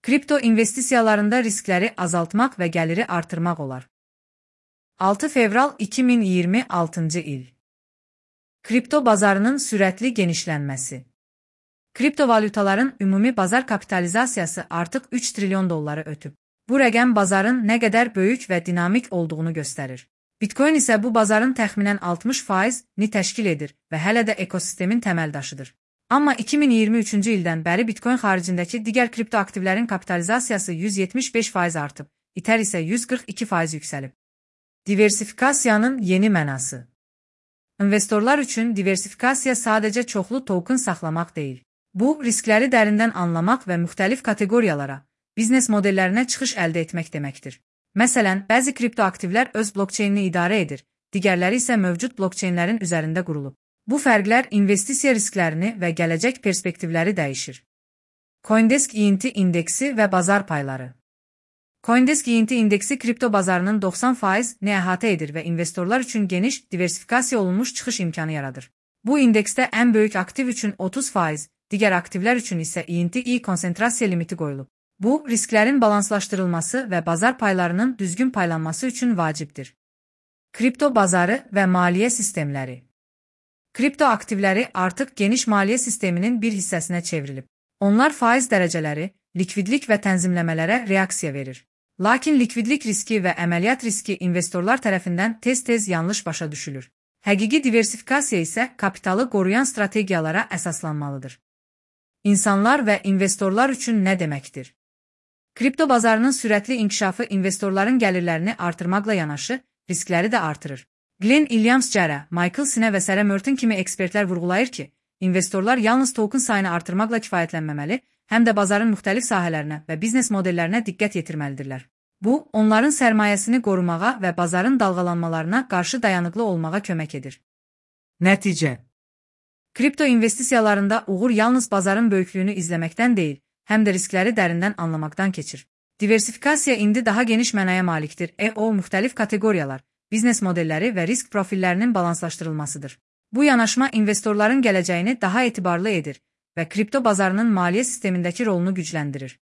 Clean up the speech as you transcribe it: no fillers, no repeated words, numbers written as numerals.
Kripto investisiyalarında riskləri azaltmaq və gəliri artırmaq olar. 6 fevral 2026 il. Kripto bazarının sürətli genişlənməsi. Kriptovalyutaların ümumi bazar kapitalizasiyası artıq 3 trilyon dolları ötüb. Bu rəqəm bazarın nə qədər böyük və dinamik olduğunu göstərir. Bitcoin isə bu bazarın təxminən 60%-ni təşkil edir və hələ də ekosistemin təməldaşıdır. Amma 2023-cü ildən bəri Bitcoin xaricindəki digər kripto aktivlərin kapitalizasiyası 175% artıb, Ether isə 142% yüksəlib. Diversifikasiyanın yeni mənası. İnvestorlar üçün diversifikasiya sadəcə çoxlu token saxlamaq deyil. Bu, riskləri dərindən anlamaq və müxtəlif kateqoriyalara, biznes modellərinə çıxış əldə etmək deməkdir. Məsələn, bəzi kripto aktivlər öz blokçeynini idarə edir, digərləri isə mövcud blokçeynlərin üzərində qurulub. Bu fərqlər investisiya risklərini və gələcək perspektivləri dəyişir. CoinDesk ENT indeksi və bazar payları. CoinDesk ENT indeksi kripto bazarının 90%-ni əhatə edir və investorlar üçün geniş, diversifikasiya olunmuş çıxış imkanı yaradır. Bu indeksdə ən böyük aktiv üçün 30%, digər aktivlər üçün isə ENT-i konsentrasiya limiti qoyulub. Bu, risklərin balanslaşdırılması və bazar paylarının düzgün paylanması üçün vacibdir. Kripto bazarı və maliyyə sistemləri. Kripto aktivləri artıq geniş maliyyə sisteminin bir hissəsinə çevrilib. Onlar faiz dərəcələri, likvidlik və tənzimləmələrə reaksiya verir. Lakin likvidlik riski və əməliyyat riski investorlar tərəfindən tez-tez yanlış başa düşülür. Həqiqi diversifikasiya isə kapitalı qoruyan strategiyalara əsaslanmalıdır. İnsanlar və investorlar üçün nə deməkdir? Kripto bazarının sürətli inkişafı investorların gəlirlərini artırmaqla yanaşı, riskləri də artırır. Glenn Williams-Jarrah, Michael Sine və Sarah Merton kimi ekspertlər vurğulayır ki, investorlar yalnız token sayını artırmaqla kifayətlənməməli, həm də bazarın müxtəlif sahələrinə və biznes modellərinə diqqət yetirməlidirlər. Bu, onların sərmayəsini qorumağa və bazarın dalğalanmalarına qarşı dayanıqlı olmağa kömək edir. Nəticə. Kripto investisiyalarında uğur yalnız bazarın böyüklüyünü izləməkdən deyil, həm də riskləri dərindən anlamaqdan keçir. Diversifikasiya indi daha geniş mənaya malikdir. O, müxtəlif kateqoriyalar, biznes modelləri və risk profillərinin balanslaşdırılmasıdır. Bu yanaşma investorların gələcəyini daha etibarlı edir və kripto bazarının maliyyə sistemindəki rolunu gücləndirir.